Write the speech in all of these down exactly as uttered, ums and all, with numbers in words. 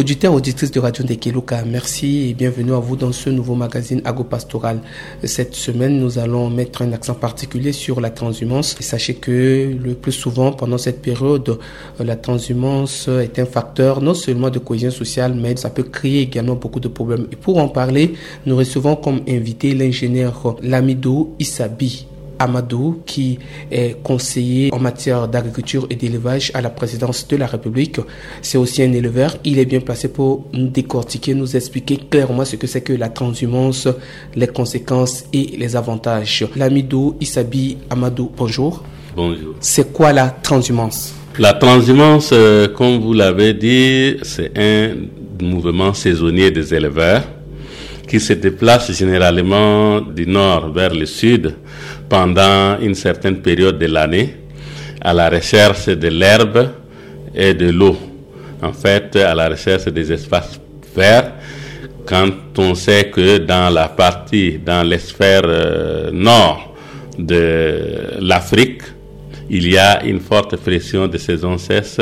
Auditeurs, auditrices de Radio Ndekeluka, merci et bienvenue à vous dans ce nouveau magazine agropastoral. Cette semaine, nous allons mettre un accent particulier sur la transhumance. Et sachez que le plus souvent, pendant cette période, euh, la transhumance est un facteur non seulement de cohésion sociale, mais ça peut créer également beaucoup de problèmes. Et pour en parler, nous recevons comme invité l'ingénieur Lamido Issabi Amadou, qui est conseiller en matière d'agriculture et d'élevage à la présidence de la République. C'est aussi un éleveur. Il est bien placé pour nous décortiquer, nous expliquer clairement ce que c'est que la transhumance, les conséquences et les avantages. Lamido Issabi Amadou, bonjour. Bonjour. C'est quoi la transhumance ? La transhumance, euh, comme vous l'avez dit, c'est un mouvement saisonnier des éleveurs qui se déplace généralement du nord vers le sud pendant une certaine période de l'année à la recherche de l'herbe et de l'eau. En fait, à la recherche des espaces verts, quand on sait que dans la partie, dans l'hémisphère, euh, nord de l'Afrique, il y a une forte pression de saison sèche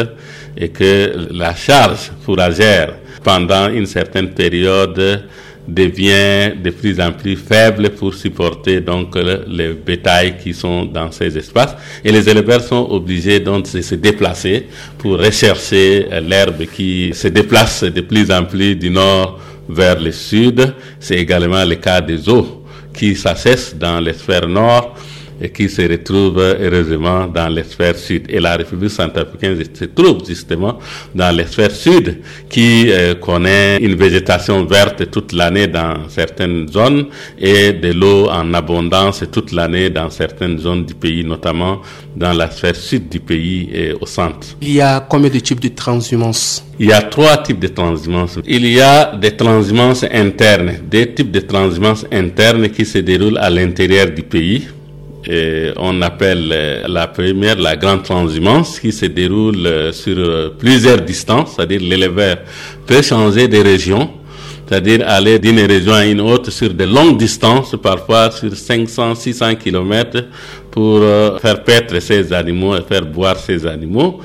et que la charge fourragère pendant une certaine période devient de plus en plus faible pour supporter donc le, les bétails qui sont dans ces espaces. Et les éleveurs sont obligés donc de se déplacer pour rechercher, euh, l'herbe qui se déplace de plus en plus du nord vers le sud. C'est également le cas des eaux qui s'assèchent dans l'hémisphère nord et qui se retrouvent heureusement dans l'hémisphère sud. Et la République centrafricaine se trouve justement dans l'hémisphère sud qui, euh, connaît une végétation verte toute l'année dans certaines zones et de l'eau en abondance toute l'année dans certaines zones du pays, notamment dans la sphère sud du pays et au centre. Il y a combien de types de transhumance ? Il y a trois types de transhumances. Il y a des transhumances internes, des types de transhumances internes qui se déroulent à l'intérieur du pays. Et on appelle, euh, la première la grande transhumance qui se déroule, euh, sur, euh, plusieurs distances, c'est-à-dire l'éleveur peut changer de région, c'est-à-dire aller d'une région à une autre sur de longues distances, parfois sur cinq cents, six cents kilomètres, pour, euh, faire paître ses animaux et faire boire ses animaux.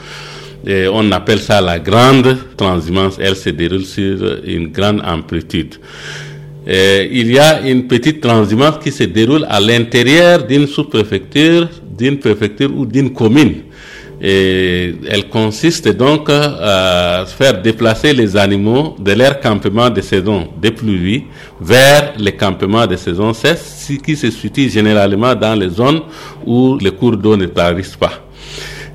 Et on appelle ça la grande transhumance. Elle se déroule sur une grande amplitude. Et il y a une petite transhumance qui se déroule à l'intérieur d'une sous-préfecture, d'une préfecture ou d'une commune. Et elle consiste donc à faire déplacer les animaux de leur campement de saison des pluies vers les campements de saison sèche, ce qui se situe généralement dans les zones où les cours d'eau ne traversent pas.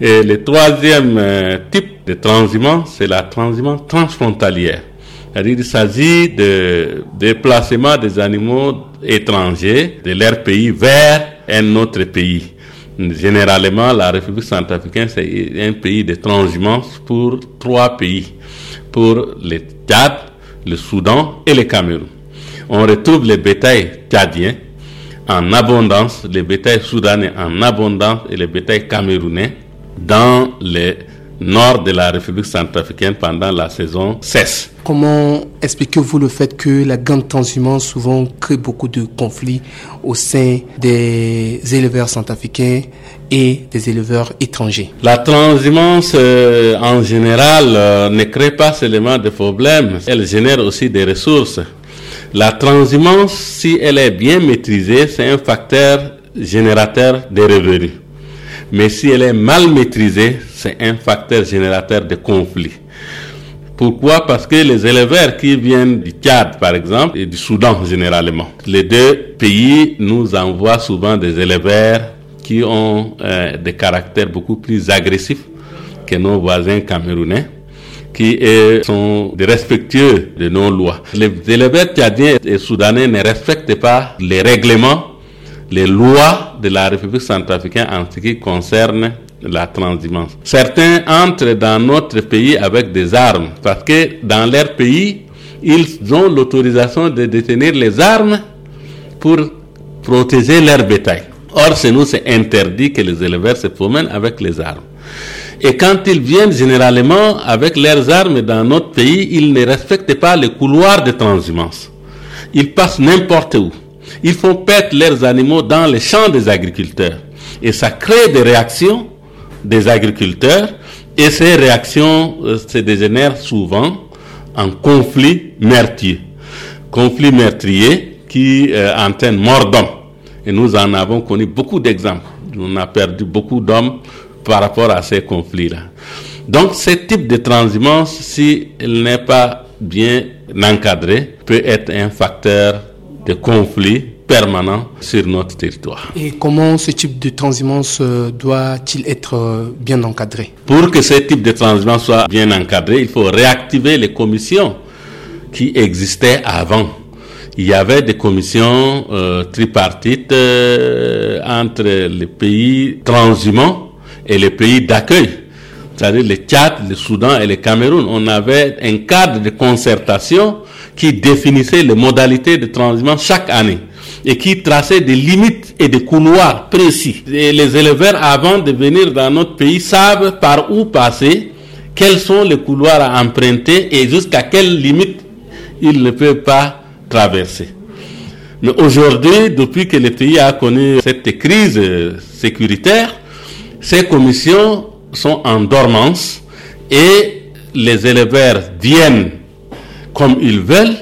Et le troisième, euh, type de transhumance, c'est la transhumance transfrontalière. C'est-à-dire, il s'agit de déplacement des animaux étrangers de leur pays vers un autre pays. Généralement, la République centrafricaine, c'est un pays de transhumance pour trois pays, pour le Tchad, le Soudan et le Cameroun. On retrouve les bétails tchadiens en abondance, les bétails soudanais en abondance et les bétails camerounais dans le nord de la République centrafricaine pendant la saison sèche. Comment expliquez-vous le fait que la grande transhumance souvent crée beaucoup de conflits au sein des éleveurs centrafricains et des éleveurs étrangers ? La transhumance, euh, en général, euh, ne crée pas seulement des problèmes, elle génère aussi des ressources. La transhumance, si elle est bien maîtrisée, c'est un facteur générateur de revenus. Mais si elle est mal maîtrisée, c'est un facteur générateur de conflits. Pourquoi ? Parce que les éleveurs qui viennent du Tchad, par exemple, et du Soudan généralement, les deux pays nous envoient souvent des éleveurs qui ont, euh, des caractères beaucoup plus agressifs que nos voisins camerounais, qui, eux, sont des respectueux de nos lois. Les éleveurs tchadiens et soudanais ne respectent pas les règlements, les lois de la République centrafricaine en ce qui concerne la transhumance. Certains entrent dans notre pays avec des armes parce que dans leur pays, ils ont l'autorisation de détenir les armes pour protéger leur bétail. Or, chez nous, c'est interdit que les éleveurs se promènent avec les armes. Et quand ils viennent généralement avec leurs armes dans notre pays, ils ne respectent pas les couloirs de transhumance. Ils passent n'importe où. Ils font perdre leurs animaux dans les champs des agriculteurs. Et ça crée des réactions des agriculteurs. Et ces réactions, euh, se dégénèrent souvent en conflit meurtrier. Conflit meurtrier qui euh, entraîne mort d'homme. Et nous en avons connu beaucoup d'exemples. On a perdu beaucoup d'hommes par rapport à ces conflits-là. Donc, ce type de transhumance, si elle n'est pas bien encadrée, peut être un facteur de conflit permanent sur notre territoire. Et comment ce type de transhumance euh, doit-il être euh, bien encadré ? Pour que ce type de transhumance soit bien encadré, il faut réactiver les commissions qui existaient avant. Il y avait des commissions euh, tripartites euh, entre les pays transhumants et les pays d'accueil, c'est-à-dire le Tchad, le Soudan et le Cameroun. On avait un cadre de concertation qui définissait les modalités de transhumance chaque année et qui traçait des limites et des couloirs précis. Et les éleveurs, avant de venir dans notre pays, savent par où passer, quels sont les couloirs à emprunter et jusqu'à quelle limite ils ne peuvent pas traverser. Mais aujourd'hui, depuis que le pays a connu cette crise euh, sécuritaire, ces commissions sont en dormance et les éleveurs viennent comme ils veulent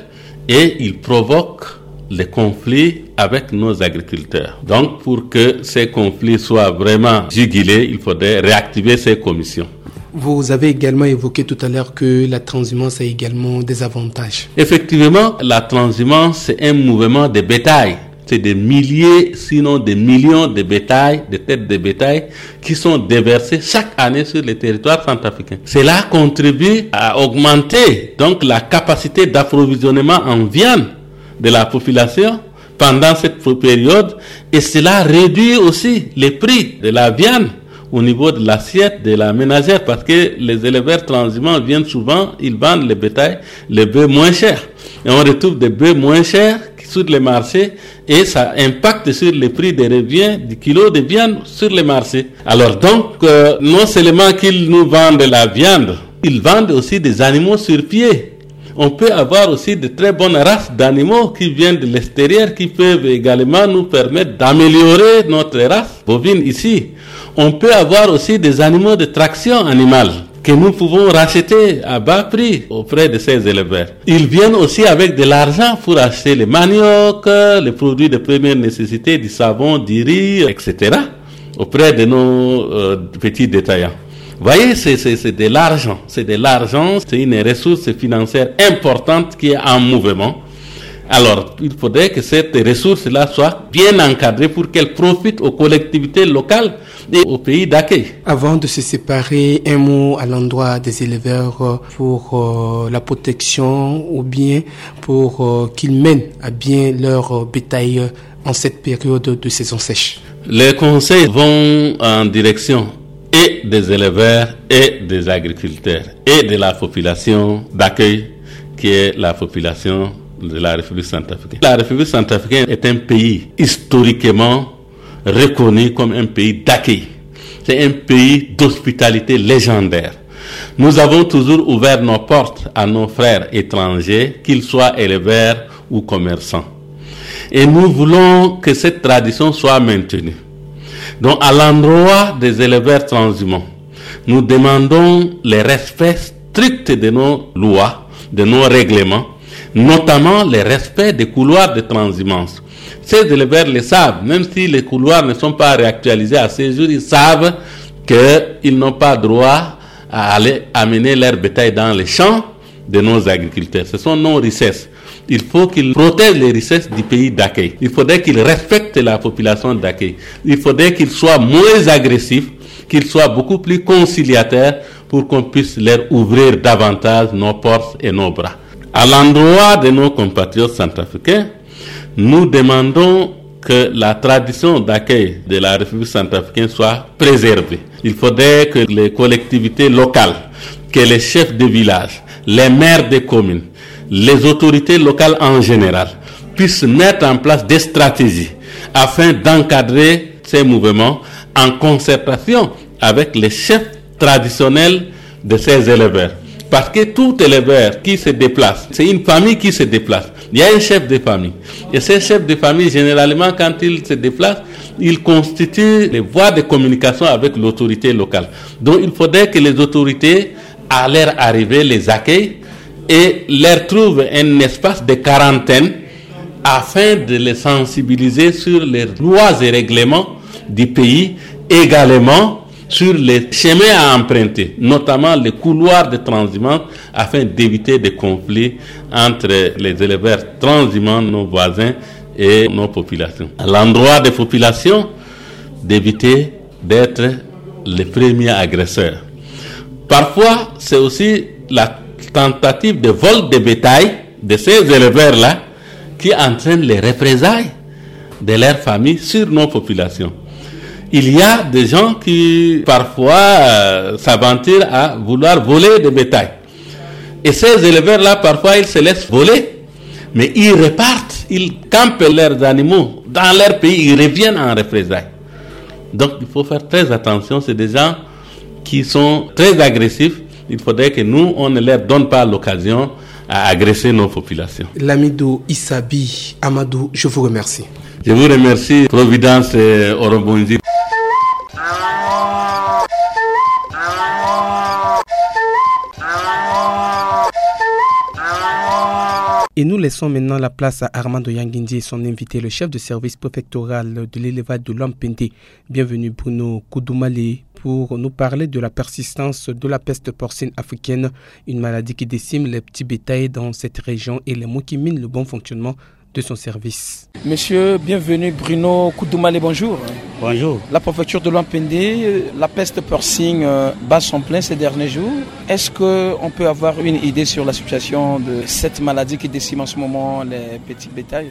et ils provoquent les conflits avec nos agriculteurs. Donc, pour que ces conflits soient vraiment jugulés, il faudrait réactiver ces commissions. Vous avez également évoqué tout à l'heure que la transhumance a également des avantages. Effectivement, la transhumance, c'est un mouvement de bétail. C'est des milliers, sinon des millions de bétail, de têtes de bétail qui sont déversées chaque année sur le territoire centrafricain. Cela contribue à augmenter donc la capacité d'approvisionnement en viande de la population pendant cette période et cela réduit aussi les prix de la viande au niveau de l'assiette de la ménagère parce que les éleveurs transhumants viennent souvent, ils vendent le bétail, les bœufs moins chers. Et on retrouve des bœufs moins chers sur les marchés et ça impacte sur le prix de revient du kilo de viande sur les marchés. Alors donc, euh, non seulement qu'ils nous vendent la viande, ils vendent aussi des animaux sur pied. On peut avoir aussi de très bonnes races d'animaux qui viennent de l'extérieur, qui peuvent également nous permettre d'améliorer notre race bovine ici. On peut avoir aussi des animaux de traction animale que nous pouvons racheter à bas prix auprès de ces éleveurs. Ils viennent aussi avec de l'argent pour acheter les maniocs, les produits de première nécessité, du savon, du riz, et cetera auprès de nos euh, petits détaillants. Vous voyez, c'est, c'est, c'est de l'argent. C'est de l'argent, c'est une ressource financière importante qui est en mouvement. Alors, il faudrait que cette ressource-là soit bien encadrée pour qu'elle profite aux collectivités locales et aux pays d'accueil. Avant de se séparer, un mot à l'endroit des éleveurs euh, pour euh, la protection ou bien pour euh, qu'ils mènent à bien leur euh, bétail euh, en cette période de saison sèche. Les conseils vont en direction et des éleveurs et des agriculteurs et de la population d'accueil qui est la population de la République centrafricaine. La République centrafricaine est un pays historiquement reconnu comme un pays d'accueil. C'est un pays d'hospitalité légendaire. Nous avons toujours ouvert nos portes à nos frères étrangers, qu'ils soient éleveurs ou commerçants. Et nous voulons que cette tradition soit maintenue. Donc, à l'endroit des éleveurs transhumants, nous demandons le respect strict de nos lois, de nos règlements, notamment le respect des couloirs de transhumance. Ces éleveurs le savent, même si les couloirs ne sont pas réactualisés à ce jour, ils savent qu'ils n'ont pas droit à aller amener leur bétail dans les champs de nos agriculteurs. Ce sont nos richesses. Il faut qu'ils protègent les richesses du pays d'accueil. Il faudrait qu'ils respectent la population d'accueil. Il faudrait qu'ils soient moins agressifs, qu'ils soient beaucoup plus conciliateurs pour qu'on puisse leur ouvrir davantage nos portes et nos bras. À l'endroit de nos compatriotes centrafricains, nous demandons que la tradition d'accueil de la République centrafricaine soit préservée. Il faudrait que les collectivités locales, que les chefs de village, les maires des communes, les autorités locales en général puissent mettre en place des stratégies afin d'encadrer ces mouvements en concertation avec les chefs traditionnels de ces éleveurs. Parce que tout éleveur qui se déplace, c'est une famille qui se déplace. Il y a un chef de famille. Et ce chef de famille, généralement, quand il se déplace, il constitue les voies de communication avec l'autorité locale. Donc, il faudrait que les autorités, à leur arrivée, les accueillent et leur trouve un espace de quarantaine afin de les sensibiliser sur les lois et règlements du pays, également sur les chemins à emprunter, notamment les couloirs de transhumance, afin d'éviter des conflits entre les éleveurs transhumants, nos voisins, et nos populations. À l'endroit des populations, d'éviter d'être les premiers agresseurs. Parfois, c'est aussi la tentative de vol de bétail de ces éleveurs-là qui entraîne les représailles de leur famille sur nos populations. Il y a des gens qui, parfois, euh, s'aventurent à vouloir voler des bétails. Et ces éleveurs-là, parfois, ils se laissent voler, mais ils repartent, ils campent leurs animaux dans leur pays, ils reviennent en représailles. Donc, il faut faire très attention, c'est des gens qui sont très agressifs. Il faudrait que nous, on ne leur donne pas l'occasion à agresser nos populations. Lamido Issabi Amadou, je vous remercie. Je vous remercie, Providence, euh, Orobonzi. Et nous laissons maintenant la place à Armando Yangindi et son invité, le chef de service préfectoral de l'élevage de Loampende. Bienvenue Bruno Koudoumale pour nous parler de la persistance de la peste porcine africaine, une maladie qui décime les petits bétails dans cette région et les maux qui minent le bon fonctionnement de son service. Monsieur, bienvenue Bruno Koudoumale, bonjour. Bonjour. La préfecture de Loampende, la peste porcine, euh, bat son plein ces derniers jours. Est-ce que on peut avoir une idée sur la situation de cette maladie qui décime en ce moment les petits bétails ?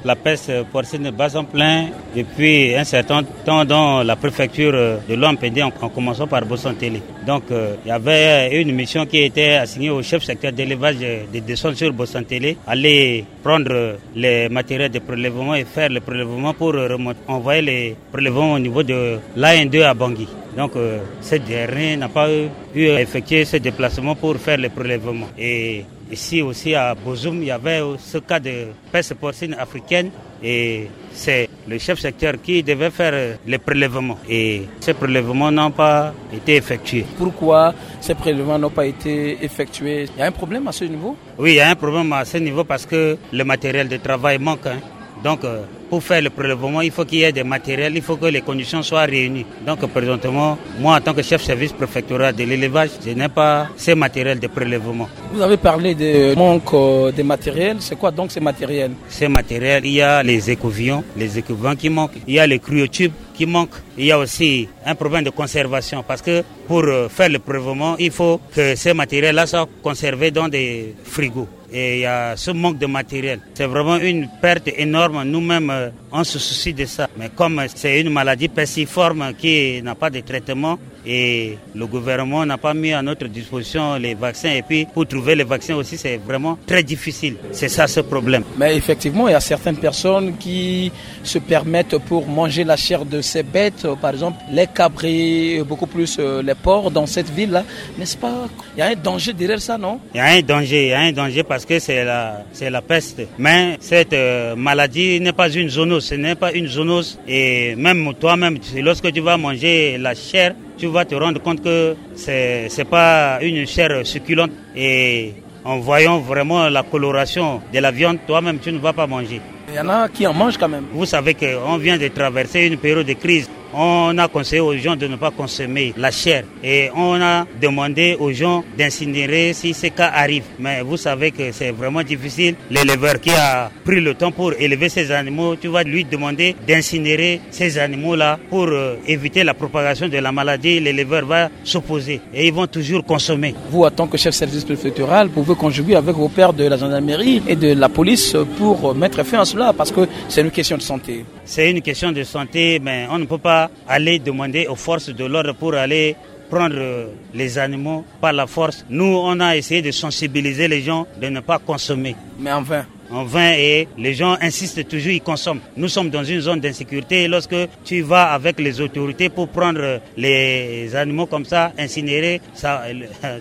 La peste porcine bat son plein depuis un certain temps dans la préfecture de Loampende, en, en commençant par Bossantélé. Donc, euh, il y avait une mission qui était assignée au chef secteur d'élevage de descendre sur Bossantélé, aller prendre les matériels de prélèvement et faire le prélèvement pour remonter, envoyer les prélèvements au niveau de l'A un deux à Bangui. Donc, euh, ce dernier n'a pas eu, eu à effectuer ce déplacement pour faire le prélèvement. Et ici aussi à Bozoum, il y avait ce cas de peste porcine africaine et c'est le chef secteur qui devait faire, euh, les prélèvements. Et ces prélèvements n'ont pas été effectués. Pourquoi ces prélèvements n'ont pas été effectués ? Il y a un problème à ce niveau ? Oui, il y a un problème à ce niveau parce que le matériel de travail manque, hein. Donc, euh, pour faire le prélèvement, il faut qu'il y ait des matériels, il faut que les conditions soient réunies. Donc, présentement, moi, en tant que chef service préfectoral de l'élevage, je n'ai pas ces matériels de prélèvement. Vous avez parlé de manque, euh, de matériel. C'est quoi donc ces matériels ? Ces matériels, il y a les écouvillons, les écouvillons qui manquent, il y a les cryotubes qui manquent, il y a aussi un problème de conservation parce que pour, euh, faire le prélèvement, il faut que ces matériels-là soient conservés dans des frigos. Et il y a ce manque de matériel. C'est vraiment une perte énorme. Nous-mêmes, euh, on se soucie de ça. Mais comme c'est une maladie persiforme qui n'a pas de traitement, et le gouvernement n'a pas mis à notre disposition les vaccins. Et puis, pour trouver les vaccins aussi, c'est vraiment très difficile. C'est ça ce problème. Mais effectivement, il y a certaines personnes qui se permettent pour manger la chair de ces bêtes, euh, par exemple, les cabrits, euh, beaucoup plus, euh, les porcs dans cette ville-là, n'est-ce pas ? Il y a un danger derrière ça, non ? Il y a un danger, il y a un danger parce que c'est la, c'est la peste. Mais cette, euh, maladie n'est pas une zoonose, ce n'est pas une zoonose. Et même toi-même, c'est lorsque tu vas manger la chair, tu vas te rendre compte que c'est, c'est pas une chair succulente. Et en voyant vraiment la coloration de la viande, toi-même, tu ne vas pas manger. Il y en a qui en mangent quand même. Vous savez qu'on vient de traverser une période de crise. On a conseillé aux gens de ne pas consommer la chair et on a demandé aux gens d'incinérer si ces cas arrivent. Mais vous savez que c'est vraiment difficile. L'éleveur qui a pris le temps pour élever ces animaux, tu vas lui demander d'incinérer ces animaux-là pour, euh, éviter la propagation de la maladie. L'éleveur va s'opposer et ils vont toujours consommer. Vous, en tant que chef service préfectoral, pouvez conjuguer avec vos pairs de la gendarmerie et de la police pour mettre fin à cela, parce que c'est une question de santé. C'est une question de santé, mais on ne peut pas aller demander aux forces de l'ordre pour aller prendre, euh, les animaux par la force. Nous, on a essayé de sensibiliser les gens de ne pas consommer. Mais en vain. En vain, et les gens insistent toujours, ils consomment. Nous sommes dans une zone d'insécurité. Lorsque tu vas avec les autorités pour prendre les animaux comme ça, incinérés, ça,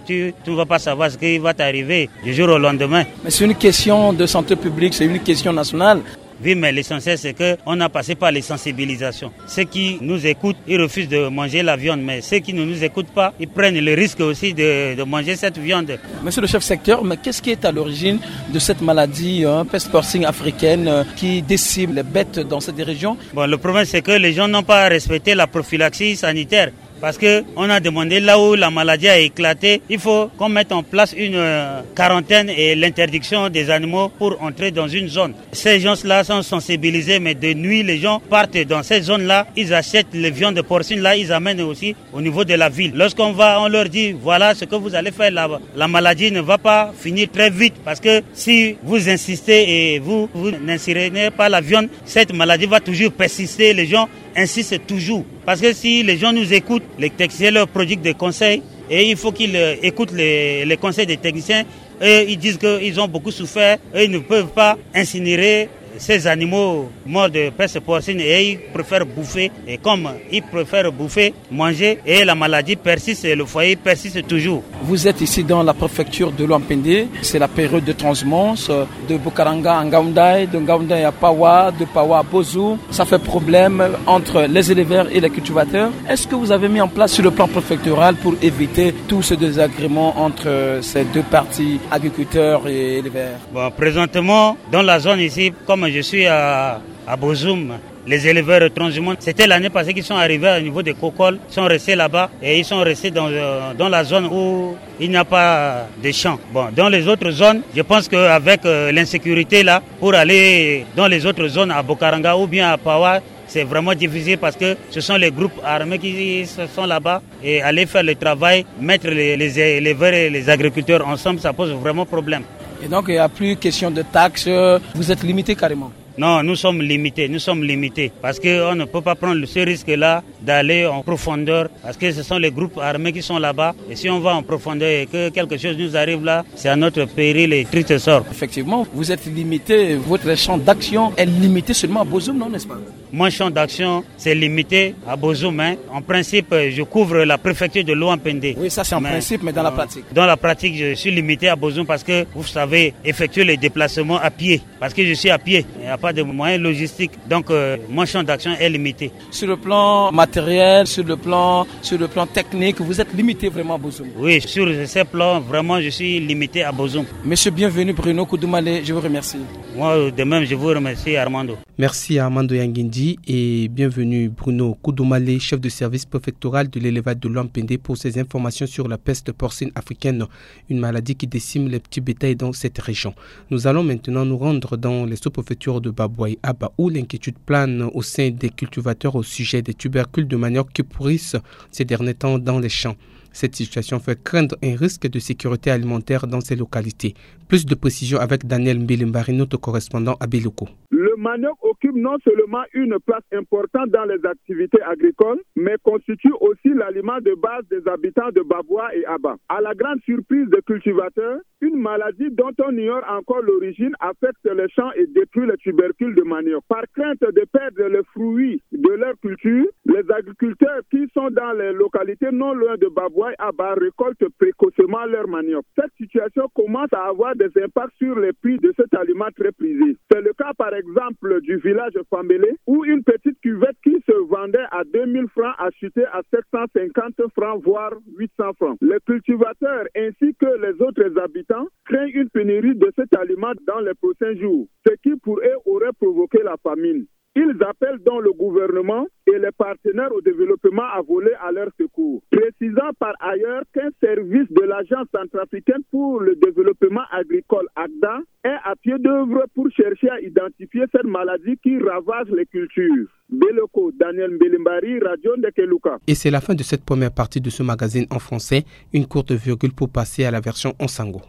tu, tu ne vas pas savoir ce qui va t'arriver du jour au lendemain. Mais c'est une question de santé publique, c'est une question nationale. Oui, mais l'essentiel, c'est que on a passé par les sensibilisations. Ceux qui nous écoutent, ils refusent de manger la viande, mais ceux qui ne nous écoutent pas, ils prennent le risque aussi de, de manger cette viande. Monsieur le chef secteur, mais qu'est-ce qui est à l'origine de cette maladie, hein, peste porcine africaine, euh, qui décime les bêtes dans cette région ? Bon, le problème, c'est que les gens n'ont pas respecté la prophylaxie sanitaire. Parce que on a demandé, là où la maladie a éclaté, il faut qu'on mette en place une, euh, quarantaine et l'interdiction des animaux pour entrer dans une zone. Ces gens-là sont sensibilisés, mais de nuit, les gens partent dans ces zones-là, ils achètent les viandes porcines là, ils amènent aussi au niveau de la ville. Lorsqu'on va, on leur dit, voilà ce que vous allez faire là-bas. La maladie ne va pas finir très vite, parce que si vous insistez et vous, vous n'insérez pas la viande, cette maladie va toujours persister. Les gens insistent toujours. Parce que si les gens nous écoutent, les techniciens leur prodiguent des conseils et il faut qu'ils, euh, écoutent les, les conseils des techniciens. Et ils disent qu'ils ont beaucoup souffert et ils ne peuvent pas incinérer ces animaux morts de peste porcine et ils préfèrent bouffer. Et comme ils préfèrent bouffer, manger, et la maladie persiste et le foyer persiste toujours. Vous êtes ici dans la préfecture de Loampende. C'est la période de transhumance, euh, de Bokaranga à Ngaoundai, de Ngaoundai à Pawa, de Pawa à Bozoum. Ça fait problème entre les éleveurs et les cultivateurs. Est-ce que vous avez mis en place sur le plan préfectoral pour éviter tout ce désagrément entre, euh, ces deux parties, agriculteurs et éleveurs ? Bon, présentement, dans la zone ici, comme je suis à, à Bozoum, les éleveurs transhumants, c'était l'année passée qu'ils sont arrivés au niveau de Kokol, sont restés là-bas et ils sont restés dans, euh, dans la zone où il n'y a pas de champs. Bon, dans les autres zones, je pense qu'avec, euh, l'insécurité là, pour aller dans les autres zones à Bokaranga ou bien à Pawa, c'est vraiment difficile parce que ce sont les groupes armés qui sont là-bas et aller faire le travail, mettre les, les éleveurs et les agriculteurs ensemble, ça pose vraiment problème. Et donc, il n'y a plus question de taxes, vous êtes limité carrément ? Non, nous sommes limités, nous sommes limités. Parce qu'on ne peut pas prendre ce risque-là d'aller en profondeur. Parce que ce sont les groupes armés qui sont là-bas. Et si on va en profondeur et que quelque chose nous arrive là, c'est à notre péril et triste sort. Effectivement, vous êtes limité, votre champ d'action est limité seulement à Bozoum, non, n'est-ce pas ? Mon champ d'action, c'est limité à Bozoum, hein. En principe, je couvre la préfecture de Loampende. Oui, ça c'est en principe, mais dans la pratique ? Dans la pratique, je suis limité à Bozoum parce que, vous savez, effectuer les déplacements à pied. Parce que je suis à pied, il n'y a pas de moyens logistiques. Donc, euh, mon champ d'action est limité. Sur le plan matériel, sur le plan, sur le plan technique, vous êtes limité vraiment à Bozoum ? Oui, sur ces plans, vraiment, je suis limité à Bozoum. Monsieur Bienvenu Bruno Koudoumale, je vous remercie. Moi, de même, je vous remercie, Armando. Merci à Armando Yangindi et Bienvenu Bruno Koudoumale, chef de service préfectoral de l'élevage de Loampende, pour ces informations sur la peste porcine africaine, une maladie qui décime les petits bétails dans cette région. Nous allons maintenant nous rendre dans les sous-préfectures de Babouaye Aba, où l'inquiétude plane au sein des cultivateurs au sujet des tubercules de manioc qui pourrissent ces derniers temps dans les champs. Cette situation fait craindre un risque de sécurité alimentaire dans ces localités. Plus de précisions avec Daniel Mbilimbari, notre correspondant à Beloko. Le manioc occupe non seulement une place importante dans les activités agricoles, mais constitue aussi l'aliment de base des habitants de Babouaye Aba. À la grande surprise des cultivateurs, une maladie dont on ignore encore l'origine affecte les champs et détruit les tubercules de manioc. Par crainte de perdre les fruits de leur culture, les agriculteurs qui sont dans les localités non loin de Babouaye Aba récoltent précocement leur manioc. Cette situation commence à avoir des impacts sur les prix de cet aliment très prisé. C'est le cas par exemple du village Fambélé, où une petite cuvette qui se vendait à deux mille francs a chuté à sept cent cinquante francs, voire huit cents francs. Les cultivateurs ainsi que les autres habitants craignent une pénurie de cet aliment dans les prochains jours, ce qui pour eux aurait provoqué la famine. Ils appellent donc le gouvernement et les partenaires au développement à voler à leur secours, précisant par ailleurs qu'un service de l'Agence centrafricaine pour le développement agricole, ACDA, est à pied d'œuvre pour chercher à identifier cette maladie qui ravage les cultures. Beloko, Daniel Mbelimbari, Radio Ndekeluka. Et c'est la fin de cette première partie de ce magazine en français. Une courte virgule pour passer à la version en sango.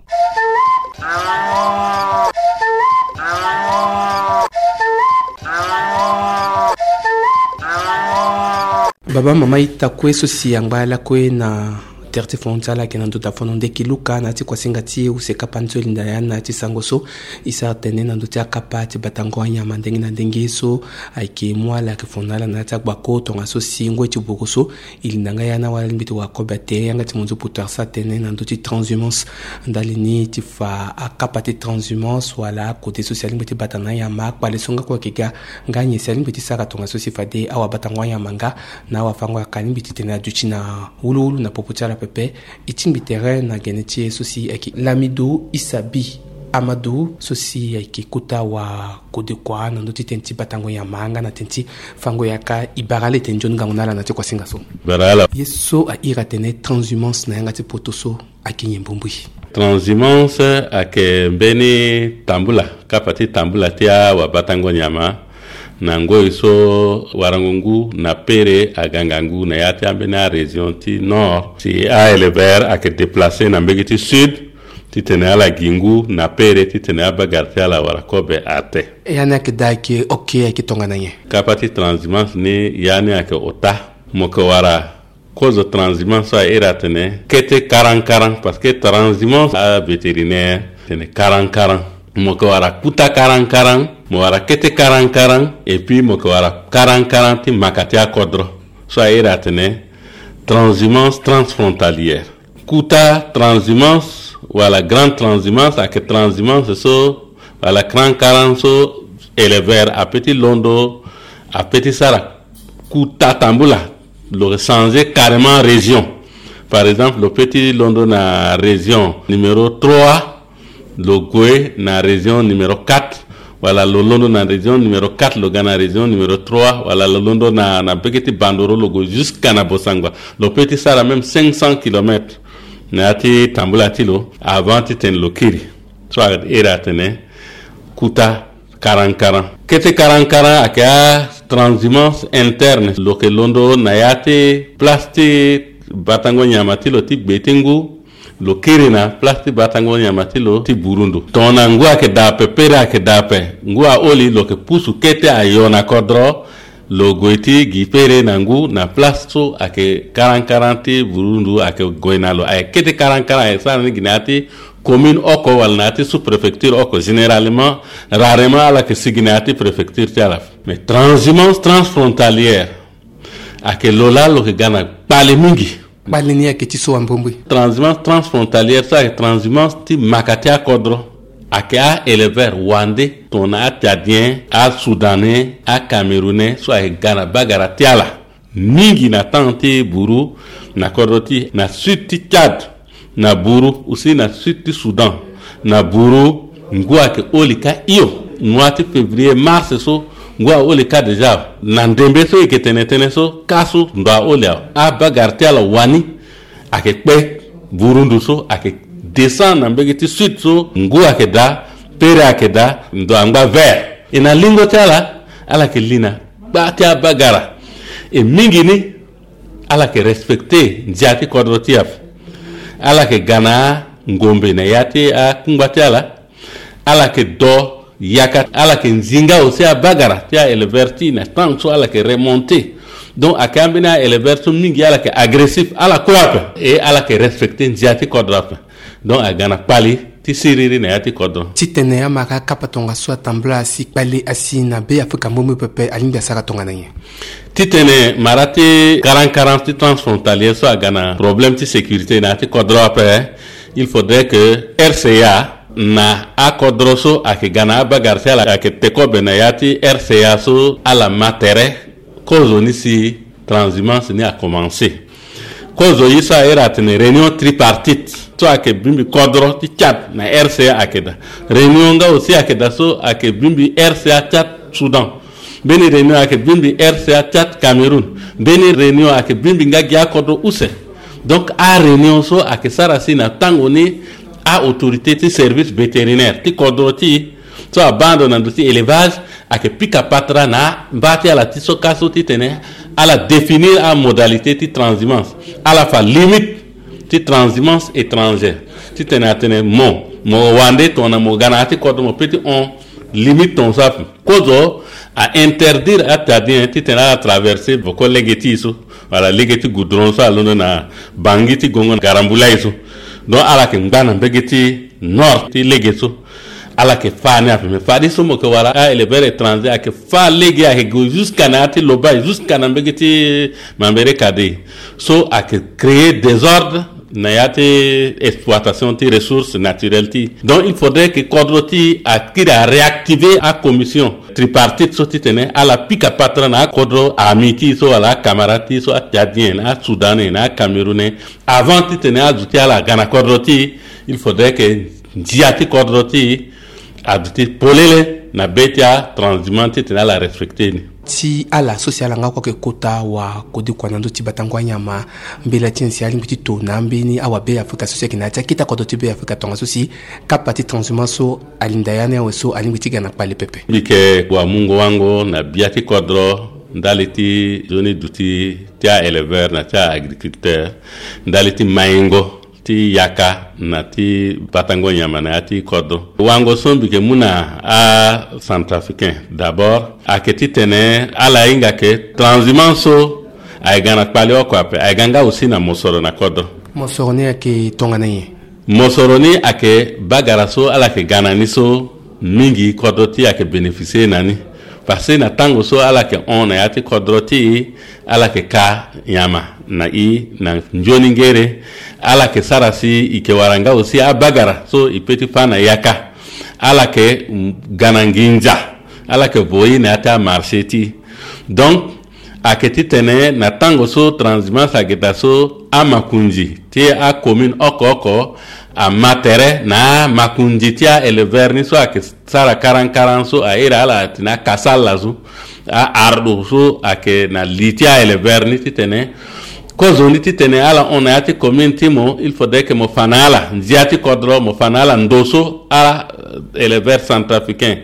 Baba mama ita kue so si angba lakue na Tere ti fon ti ala ayeke na ndö dafono ndeki luka na ya ti kuasinga ti e use kapa ni so e linda ya ni na ya ti sango so. E sara tene na ndö ti akapa ti batango anyama ndenge na ndenge so ayeke mu ala ayeke fon na ala na ya ti agbako tongaso si ngoi ti buru so e linda nga ya ni awara alingbi ti wara kobe ate yanga ti monzo poto asara tene na ndö ti transhumance. Ndali ni ti fa akapa ti transhumance wala akode so si alingbi ti bata na anyama akpale so nga kue ayeke ga nga nyen si alingbi ti sara tongaso si fade awabatango anyama nga na awafango yaka alingbi titene aduti na wuluwulu na popo ti ala pepe. E tingbi tere na gene ti e so si ayeke Lamido Isabi Amadu so si ayeke kota wakodekua na ndö ti tënë ti batango nyama nga na tënë ti fango yaka. E bara ala etene nzoni ngangu na ala na ti kuasinga so. Bara ala. Ye so a iri atene transhumance na yanga ti poto so ayeke nyen mbumbui? Transhumance ayeke mbeni tambula, kapa ti tambula ti awabatango nyama na ngoi so warango ngu na pere aga ngangu na ya ti ambeni arégion ti nord si aéleveur ayeke déplacer na mbege ti sud titene ala gi ngu na pere titene abagara ti ala awara kobe ate. Ya ni ayeke daa ayeke oke ayeke tongana nyen? Kapa ti transhumance ni ya ni ayeke ota. Mo yeke wara kozo transhumance so a iri atene kete karankaran, parce que transhumance avétérinaire tene karankaran. Mo yeke wara kuta karankaran, mo wara kete karankaran, et puis mo yeke wara karankaran ti maka ti akodro so a iri atene transhumance transfrontalière. Kuta transhumance wala grande transhumance ayeke transhumance so wala karankaran so éleveur ape ti londo, ape ti sara kuta tambula, lo changer carrément région. Par exemple, lo peut ti londo na région numéro trois, lo gue na région numéro quatre, wala lo londo na région numéro quatre, lo ga na région numéro trois, wala lo londo na, na mbege ti Bandoro, lo gue jusqu'à na Bossangoa. Lo peut ti sara même cinq cents kilomètres na ya ti tambula ti lo avant titene lo kiri. So a iri atene kuta karankaran. Kete karankaran ayeke atranshumance interne. Lo yeke londo na ya ti place ti batango nyama ti lo ti gbe ti ngu, lo kiri na place ti batango nyama ti lo ti burundu. Tongana ngu ayeke daa ape, pere ayeke daa ape, ngu aholi, lo yeke pusu kete ayo na kodro, lo gue ti gi pere na ngu na place so ayeke karankaran ti burundu ayeke gue na lo. Ayeke kete karankaran ayeke sara ni gi na ya ti commune oko wala na ya ti sous-préfecture oko. Généralement, rarement ala yeke sigi na ya ti préfecture ti ala. Mais transhumance transfrontalière ayeke lo laa lo yeke ga na kpale mingi. Kpale ni ayeke ti so wa mbrimbri? Transhumance transfrontalière so ayeke transhumance ti maka ti akodro. Ayeke a-éleveur wande tongana a-Tchadien, a-Soudanais, a-Camerounais so ayeke ga na bagara ti ala mingi na temps ti buru na kodro ti e, na sud ti Tchad, na buru aussi na sud ti Soudan, na buru ngu ayeke holi kâ hio. Mois ti février, mars so ngu aholi kâ déjà. Na ndembe so e yeke tene tënë so kâ so ndo aholi awe. Abagara ti ala wani ayeke kpe burundu so ayeke descend na mbege ti sud so ngu ayeke daa, pere ayeke daa, ndo angba vert. E na lingo ti ala, ala yeke li na gba ti abagara. E mingi ni ala yeke respecter ndia ti kodro ti e ape. Ala yeke ga na angombe na ya ti akungba ti ala. Ala yeke do yaka, ala yeke nzi nga aussi abagara ti a-éleveur ti e na temps so ala yeke remonter. Donc ayeke ambeni a-éleveur so mingi ala yeke agressif, ala kue ape. E ala yeke respecter ndia ti kodro ape. Donc aga na kpali ti siriri na ya ti kodro. Titene amara akapa tongaso atambula asi kpali asi na Be Afrika mbumbri pepe, alingbi asara tongana nyen? Titene mara ti karankaran ti transfrontalier so aga na problème ti sécurité na ya ti kodro ape, il faudrait que R C A na akodro so ayeke ga na abagara ti ala ayeke te kobe na ya ti R C A so ala ma tere kozo ni si transhumance ni akomanse. Kozo ye so a iri atene réunion tripartite so ayeke bimbi kodro ti Tchad na R C A ayeke daa. Réunion nga aussi ayeke daa so ayeke bimbi R C A Tchad Soudan. Mbeni réunion ayeke bimbi R C A Tchad Cameroun. Mbeni réunion ayeke bimbi nga gi akodro use. Donc aréunion so ayeke sara si na tango ni a-autorité ti service vétérinaire ti kodro ti e so abaa ndo na ndö ti élevage ayeke pika patara na amba ti ala ti so kâ so titene ala définir amodalité ti transhumance, ala fa limite ti transhumance étrangère. Titene atene mo, mo wande tongana mo ga na ya ti kodro mo peut ti hon limite ton so ape. Kozo A interdire atadien titene ala traverser voko lege ti e so, wala lege ti goudron so alondo na bangi ti gongo garambulai so. Donc ala yeke ngba na mbege ti nord ti lege so. Ala yeke fâ ni ape, mais fadeso mo yeke wara a-éleveur étranger ayeke fâ lege, ayeke gue jusqu'à na ya ti lobai, jusqu'à na mbege ti mambere kadei. So ayeke créer désordre na ya ti exploitation ti ressource naturelle ti e. Donc il faudrait que kodro ti e akiri aréactiver acommission tripartite so titene ala pika patara na akodro ami ti e so wala acamarade ti e so, atchadien na asoudanais na acamerounais, avant titene azo ti ala aga na kodro ti e. Il faudrait que ndia ti kodro ti e aduti polele na be ti atranshumant titene ala respecter ni. Ti ala so si ala nga oko ayeke kota wa kode kua na ndö ti batango anyama, mbela ti nyen si alingbi ti to na ambeni awa Be Afrika so si ayeke na ya ti akete kodro ti Be Afrika tongaso si kapa ti transhumant so alinda ya ni awe so alingbi ti ga na kpale pepe? Mbi yeke wa mungo wango na bia ti kodro ndali ti nzoni duti ti a-éleveur na ti a-agriculteur, ndali ti maingo ti yaka na ti batango nyama na ya ti kodro. Wango so mbi yeke mu na acentrafricain d'abord ayeke titene ala hinga ke transhumant so ayeke ga na kpale oko ape, ayeke ga nga aussi na mosoro na kodro. Mosoro ni ayeke tongana nyen? Mosoro ni ayeke bagara so ala yeke ga na ni so mingi kodro ti e ayeke bénéficier na ni. Parce que na tango so ala yeke hon na ya ti kodro ti e, ala yeke ka nyama na e na nzoni ngere. Ala yeke sara si e yeke wara nga aussi abagara so e peut ti fâ na yaka. Ala yeke, mm, ga na nginza. Ala yeke vo e na ya ti amarché ti e. Donc ayeke titene na tango so transhumance ayeke daa so, amakonzi ti acommune oko oko ama tere na amakonzi ti a-éleveur ni so ayeke sara karankaran so, a iri ala atene akasa ala so, a-ardo so ayeke na li ti a-éleveur ni titene kozo ni titene ala hon na ya ti commune ti mo, il faudrait que mo fa na ala ndia ti kodro, mo fa na ala ndo so a-éleveur centrafricain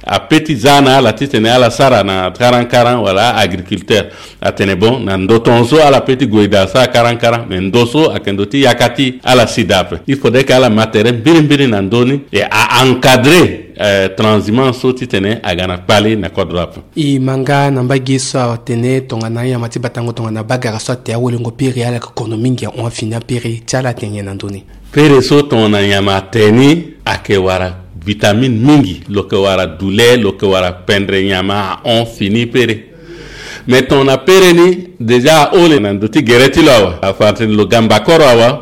apeut ti za na ala titene ala sara na karankaran wala a-agriculteur. Atene bon, na ndo ton so ala peut ti gue daa sara karankaran, mais ndo so ayeke ndo ti yaka ti ala si daa ape. Il faudrait que ala ma tere mbirimbiri na ndö ni et a-encadrer, euh, transhumant so titene aga na kpale na kodro ape. E ma nga na mbage so atene tongana anyama ti batango tongana bagara so ate awelengo pere, ala yeke kono mingi ahon afini apere ti ala, atene nyen na ndö ni? Pere so tongana nyama ate ni ayeke wara vitamine mingi, lo yeke wara douleur, lo yeke wara pendre nyama ahon fini pere. Mais tongana pere ni déjà ahole na ndo ti gere ti lo awe, afa atene lo ga mbakoro awe.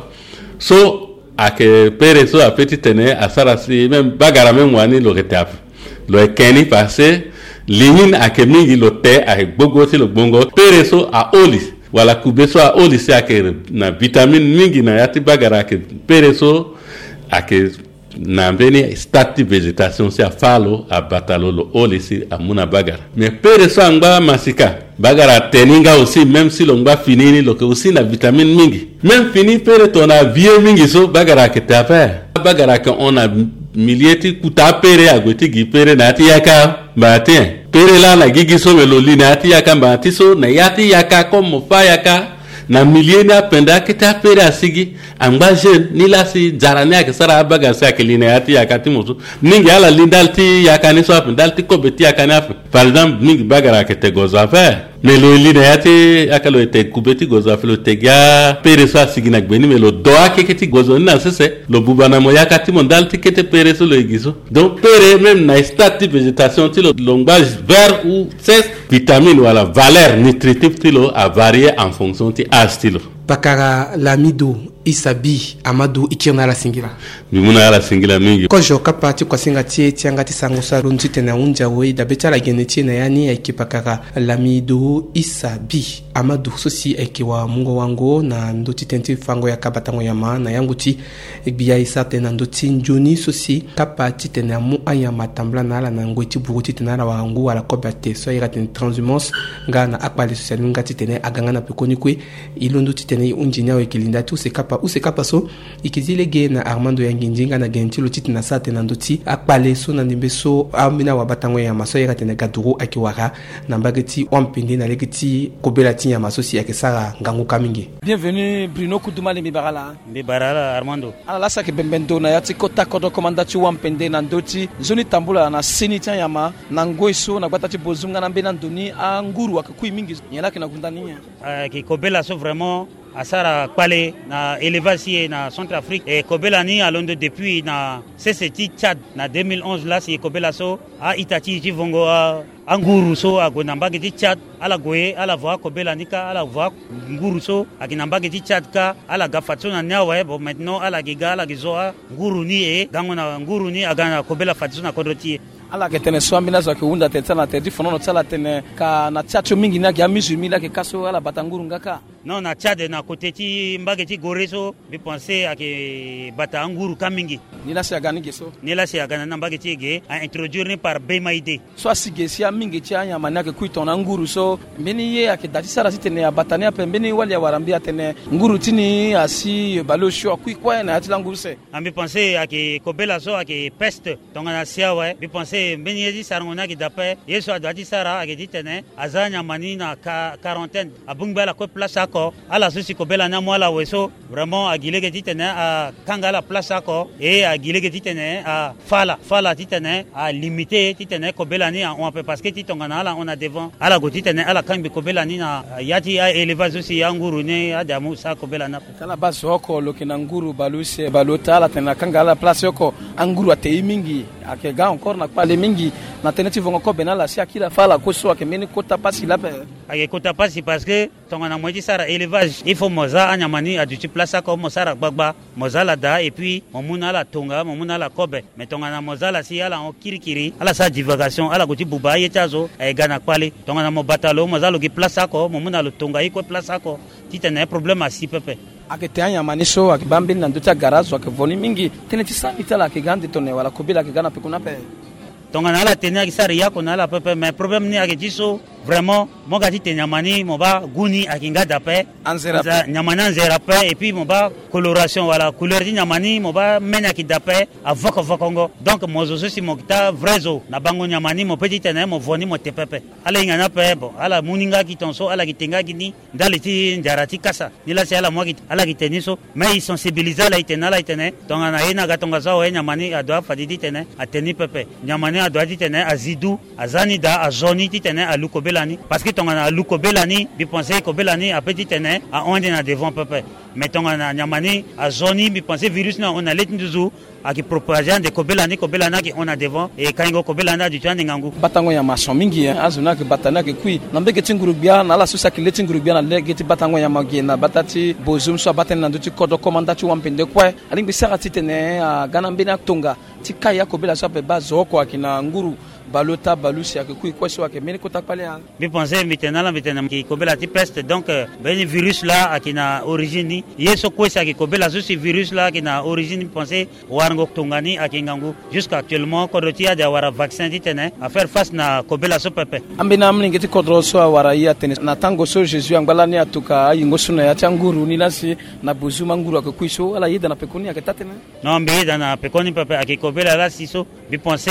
So ayeke pere so apeut ti tene asara si même bagara même wani lo yeke te ape. Lo yeke ni parce que li ni ayeke mingi, lo te ayeke gbogbo ti lo gbongo. Pere so aholi wala kube so aholi si ayeke na vitamine mingi na ya ti bagara ayeke pere so ayeke na mbeni stade ti végétation si afâ lo, abata lo, lo holi si amu na bagara. Mais pere so angba masika, bagara ate ni nga aussi, même si lo ngba fini ni, lo yeke aussi na vitamine mingi. Même fini pere tongana avieux mingi so, bagara ayeke te ape. Bagara ayeke hon na milieu ti kuta apere, ague ti gi pere na ya ti yaka. Mba ti nyen? Pere laa na gigi so, me lo li na ya ti yaka. Mba ti so na ya ti yaka, comme mo fâ yaka na milieu ni, apende akete apere asigi. Angba jeune ni laa si nzara ni ayeke sara abagara si ayeke li na ya ti yaka ti mo so. Mingi ala li ndali ti yaka ni so ape, ndali ti kobe ti yaka ni ape. Par exemple, mingi bagara ayeke te gozo ape. Mais lo li na ya ti yaka, lo yeke te kube ti gozo ape, lo te gi apere so asigi na gbe ni, mais lo do akeke ti gozo ni na sese. Lo buba na mo yaka ti mo ndali ti kete pere so lo yeke gi so. Donc pere même na stade ti végétation ti lo, lo ngba vert ou sèche, vitamine wala valeur nutritive ti lo avarier en fonction ti âge ti lo. Pakara Lamido Issa Bi Amadou, e kiri na ala singila. Mbi mu na ala singila mingi. Kozo kapa ti kuasinga ti e ti yanga ti sango so alondo titene ahunzi awe, dabe ti ala gene ti e na ya ni ayeke pakara Lamido Issa Bi Amadou so si ayeke wa mungo wango na ndö ti tënë ti fango yaka batango nyama na yango ti gbia e sara tënë na ndö ti nzoni so si kapa titene amu anyama atambula na ala na ngoi ti buru titene ala wara ngu wala kobe ate so a iri atene transhumance, nga na akpale so si alingbi nga titene aga nga na pekoni kue. E londo titene e hunzi ni awe, e yeke linda ti use kapa Use kapa so, e ke zi lege na Armando Yangindi nga na gene ti lo titene asara tene na ndö ti akpale so na ndembe so ambeni awabatango nyama so ayeke tene Gaduru ayeke wara na mbage ti Wampende na lege ti kobela ti nyama so si ayeke sara ngangu kâ mingi. Bienvenu Bruno Kuduma, le mbi bara ala. Mbi bara ala Armando. Ala laa si ayeke bembe ndo na ya ti kota kodro komanda ti Wampende na ndö ti nzoni tambula na seni ti anyama na ngoi so na gbata ti Bozoum nga na ambeni ando ni anguru ayeke kui mingi. Nyen laa ayeke na gunda ni nyen? Ayeke kobela so vraiment asara kpale na élevage ti e na Centrafrique. E kobela ni alondo depuis na sese ti Tchad na deux mille onze laa si e kobela so a-ita ti e ti vongo a, anguru so ague na mbage ti Tchad, ala gue, ala vo akobela ni kâ, ala vo anguru so ayeke na mbage ti Tchad kâ, ala ga fadeso na ni awe. Bon, maintenant ala yeke ga, ala yeke zo anguru ni, e gango na nguru ni aga na kobela fadeso na kodro ti e. Ala yeke tene so ambeni azo ayeke hunda tene ti ala na tere ti fonono ti ala tene ka na Tchad so mingi ni ayeke amizurmi laa ayeke kâ so ala bata nguru nga kâ. Non, na Tchad na kote ti mbage ti Gorée so, mbi pense ayeke bata anguru kâ mingi. Ni laa si aga ni ge so? Ni laa si aga na ni na mbage ti e ge, a introduire ni par Bemaide. So asi ge si amingi ti anyama ni ayeke kui tongana anguru so, mbeni ye ayeke daa ti sara titene abata ni ape? Mbeni wali awara mbi atene nguru ti ni asi baleosio akui kue na ya ti langu use. A mbi pense ayeke kobela so ayeke peste. Tongana si awe, mbi pense mbeni ye ti sarango ni ayeke daa ape. Ye so adoit ti sara ayeke titene aza anyama ni na ka-, quarantaine, abongbi ala kue place oko. Ala so si kobela ni amu ala awe so, vraiment agi lege titene akanga ala place oko. E agi lege titene afa ala, fa ala titene alimite titene kobela ni ahon ape, parce que ti tongana ala hon na devant, ala gue titene ala kangbi kobela ni na ya ti a-élevage so si anguru ni ade amu sara kobela ni ape. Tala baa zo oko lo yeke na nguru baleuse, baleota, ala tene na kanga ala place oko. Anguru ate ye mingi, ayeke ga encore na kpale mingi na tënë ti vongo kobe na ala si akiri afa ala kue so, ayeke mbeni kota pasi laa ape. Ayeke kota pasi parce que tongana mo ye ti sara élevage, il faut mo za anyama ni aduti place oko, mo sara gbagba, mo za ala daa, et puis mo mu na ala tonga, mo mu na ala kobe. Mais tongana mo za ala si ala hon kirikiri, ala sara divagation, ala gue ti buba aye ti azo, ayeke ga na kpale. Tongana mo bata lo, mo za lo gi place oko, mo mu na lo tonga ye kue place oko, titene problème asi pepe. Ayeke te anyama ni so ayeke baa mbeni na ndö ti agara azo ayeke vo ni mingi. Tënë ti sara mbi ti ala ayeke ga ande tone wala kobela ayeke ga na peko ni ape? Tongana ala te ni ayeke sara yako na ala pepe, mais problème ni ayeke ti so, vraiment mo ga titene nyama ni mo baa gu ni ayeke nga daa ape. Anzere ape. Nyama ni anzere ape, et puis mo baa coloration wala couleur ti nyama ni mo baa mene ayeke daa ape, avokovokongo. Donc mo zo so si mo yeke taa vrai zo na bango nyama ni, mo peut titene mo vo ni mo te pepe. Ala hinga ni ape, bon, ala mu ni nga gi tongaso, ala yeke te nga gi ni ndali ti nzara ti kasa. Ni laa si ala mu ayeke, ala yeke te ni so. Mais e sensibiliser ala, e tene na ala, e tene tongana ye ni aga tongaso awe, nyama ni adoit fade titene ate ni pepe. Nyama ni adoit titene azi du, aza ni daa, azo ni titene alu kobela ni. Parce que tongana alu kobela ni, mbi pense kobela ni apeut titene ahon ande na devant pepe. Mais tongana nyama ni azo ni, mbi pense virus ni ahon na le ti nduzu, ayeke propager ande kobela ni, kobela ni ayeke hon na devant, e kango kobela ni aduti ande ngangu. Batango nyama ason mingi, hein. Azo ni ayeke bata ni ayeke kui. Na mbage ti nguru-gbia, na ala so si ayeke le ti nguru-gbia na lege ti batango nyama ge na bata ti Bozoum so abata ni na ndö ti kodro komanda ti Wampende kue, alingbi sara titene aga na mbeni atonga ti kai akobela so ape baa zo oko ayeke na nguru baleota, baleuse ayeke kui kue so, ayeke mbeni kota kpale. Mbi pense mbi tene na ala, mbi tene ayeke kobela ti peste. Donc, euh, mbeni virus laa ayeke na origine ni. Ye so kue si ayeke kobela so si virus laa ayeke na origine, mbi pense warango tonga ni ayeke ngangu. Jusqu'à actuellement kodro ti e ade awara vaccin titene afaire face na kobela so pepe. Ambeni amolenge ti kodro so awara e atene na tango so Jésus angba lani atoka ayingo so na ya ti anguru ni laa si na Bozoum anguru ayeke kui so, ala yeda na pekoni ayeke taa tënë? Non, mbi yeda na pekoni pepe, ayeke kobela laa si so. Mbi pense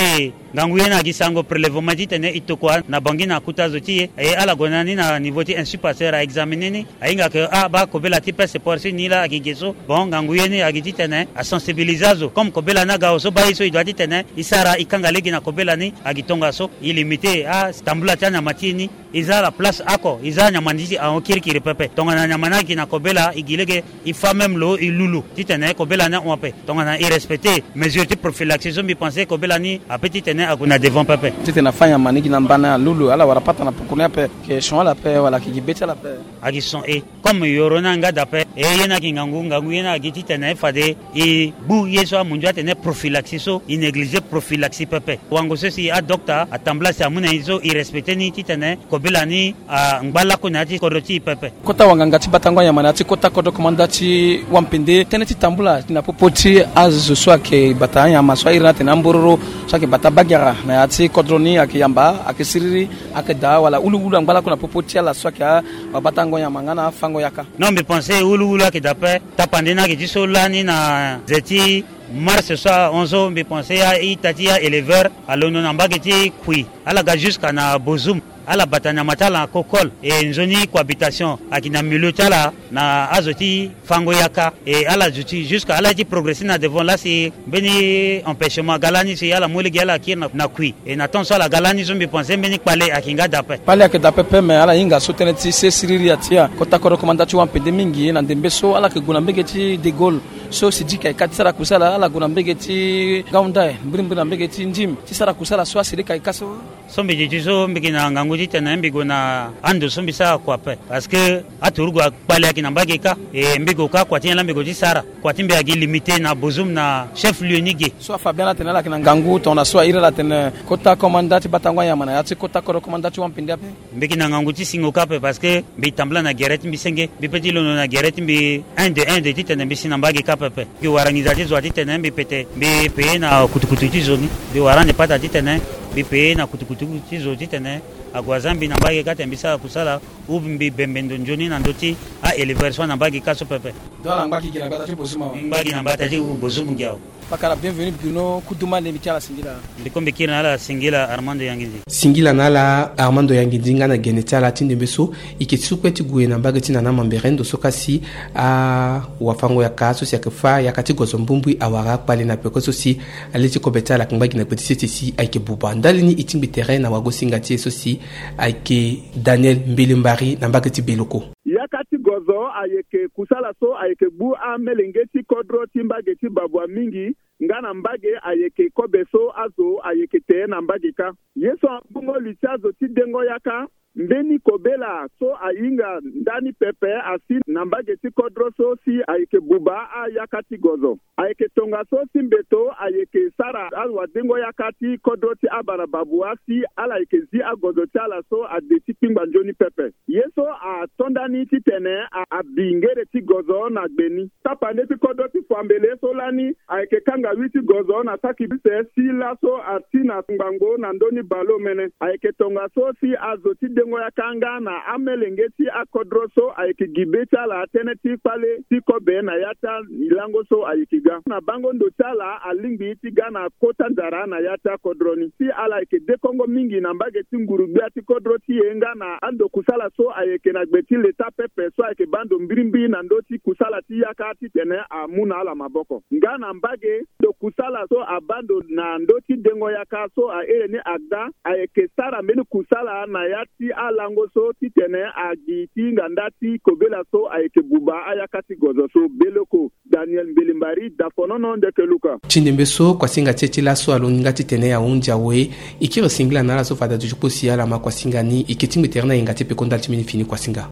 ngangu ye ni agi sango prélèvement titene e tokua na Bangui na akuta zo ti e. E ala gue na ni na niveau ti Institut Pasteur aexaminer ni. Ahinga ke ah, baa kobela ti peste porcine ni laa agi ge so. Bon, ngangu ye ni agi titene asensibiliser azo. Comme kobela ni aga awe so, baa ye so e doit titene e sara, e kanga lege na kobela ni agi tongaso, e limiter atambula ti anyama ti e ni. E za ala place oko, e za anyama ni ti e ahon kirikiri pepe. Tongana anyama ni ayeke na kobela, e gi lege e fa même lo, e lu lo titene kobela ni ahon ape. Tongana e respecter mesure ti prophylaxie so, mbi pense kobela ni apeut titene ague na devant pepe. Titene afa anyama ni gi na mbana, alu lo, ala wara pata na poko ni ape? Ayeke son ala ape wala ayeke gi be ti ala ape? Ayeke son e. Comme yoro ni anga daa ape, e ye ni ayeke ngangu, ngangu ye ni agi titene fade e gbu ye so amundu atene prophylaxie so, e négliger prophylaxie pepe. Wango so si adokta atambula si amu na e so, e respecter ni titene kobela ni angba lakue na ya ti kodro ti e pepe. Kota wanganga ti batango anyama na ya ti kota kodro komanda ti Wampende, tënë ti tambula na popo ti azo so ayeke bata anyama so a iri ni atene ambororo, so ayeke bata bagiara na ya ti kodro ni, ayeke yamba, ayeke siriri, ayeke daa wala wuluwulu angba lakue na popo ti ala so ayeke abatango nyama nga na afango yaka? Non, mbi pense wulu Wulu ayeke daa ape. Tapande ni ayeke ti so lani na ze ti mars so ahon so mbi pense aita ti aéleveur alondo na mbage ti Kui, ala ga jusqu'à na Bozoum, ala bata nyama ti ala na kokol. E nzoni cohabitation ayeke na milieu ti ala na azo ti fango yaka. E ala zo ti jusqu'à ala ye ti progresser na devant laa si mbeni empêchement aga lani si ala mu lege ala kiri na, na Kui. E na temps so ala ga lani so mbi pense mbeni kpale ayeke nga daa ape. Kpale ayeke daa pepe, me ala hinga so tënë ti se siriri atia kota kodro komanda ti wampende mingi na ndembe so ala yeke gue na mbege ti De Gaulle. So Sidiki ayeke ka ti sara kusala, ala gue na mbege ti Ngaoundai, mbirimbiri na mbege ti Ndim ti sara kusala so Asidiki ayeke ka so. So mbi duti so mbi yeke na ngangu titene mbi gue na ando so mbi sara kua ape. Parce que aturugu akpale ayeke na mbage kâ. E mbi gue kâ kua ti nyen laa mbi gue ti sara? Kua ti mbi ayeke limité na Bozoum na chef lieu ni ge. So afa bien atene ala yeke na ngangu tongana so a iri ala atene kota komanda ti batango anyama na ya ti kota kodro komanda ti wampende ape. Mbi yeke na ngangu ti singo kâ ape parce que mbi tambula na gere ti mbi senge, mbi pe ti londo na gere ti mbi un de un de titene mbi si na mbage kâ pepe. Mbi wara nginza ti zo wa titene mbi pete mbi paye na kutukutu ti zo ni. Mbi wara ande pata titene mbi paye na kutukutu ti zo titene ague aza mbi na mbage kâ tene mbi sara kusala ou mbi bembe ndo nzoni na ndö ti aéleveur so ana mbage kâ so pepe. Donc ala ngba gi na mbata ti Bozoum awe. Ngba gi na mbata ti Bozoum gi awe. Pakara, bienvenue bino kuduma, ndembe ti ala singila. Mbi kombe kiri na ala singila Armando Yangindi. Singila na ala Armando Yangindi nga na gene ti ala ti ndembe so e yeke ti su kue ti gue na mbage ti Nana Mambere ndo so ka si awafango yaka so si ayeke fâ yaka ti gozo mbumbui awara akpale na peko so si ale ti kobe ti ala ayeke ngba gi na gbe ti sese si ayeke buba. Ndali ni e tingbi tere na wagosinga ti e so si ayeke Daniel Mbelembari na mbage ti Beloko. Yaka ti gozo ayeke kusala so ayeke gbu amelenge ti kodro ti mbage ti Babua mingi, nga na mbage ayeke kobe so azo ayeke te na mbage kâ. Ye so ambongo li ti azo ti dengo yaka, mbeni kobela so ahinga ndani pepe asi na mbage ti kodro so si ayeke buba ayaka ti gozo. Ayeke tongaso si mbeto ayeke sara awadengo yaka ti kodro ti abara Babua si ala yeke zi agozo ti ala so ade ti kpingba nzoni pepe. Ye so ato ndani titene a, abi ngere ti gozo na gbe ni. Tapande ti kodro ti Fuambele so lani ayeke kanga wi ti gozo na saki bise si laso ati na ngbangbo na ndö ni baleomene. Ayeke tongaso si azo ti dengo yaka nga na amelenge ti akodro so ayeke gi be ti ala tënë ti kpale ti kobe na ya ti alango so ayeke ga. Na bango ndo ti ala alingbi ti ga na kota nzara na ya ti akodro ni. Si ala yeke dekongo mingi na mbage ti nguru-gbia ti kodro ti e nga na ando kusala so ayeke na gbe ti leta pepe so ayeke baa ndo mbirimbiri na ndö ti kusala ti yaka titene amu na ala maboko. Nga na mbage ndo kusala so abaa ndo na ndö ti dengo yaka so ahere ni agda, ayeke sara mbeni kusala na ya ti alango so titene agi ti hinga nda ti kobela so ayeke buba ayaka ti gozo so. Beloko, Daniel Mbelembari, Dafonono, Ndeke Luka. Ti ndembe so kuasinga ti e ti laso alongi nga titene ahunzi awe. E kiri singila na ala so fade aduti kpo si ala ma kuasinga ni. E ke tingbi tere na yenga ti peko ndali ti mbeni fini kuasinga.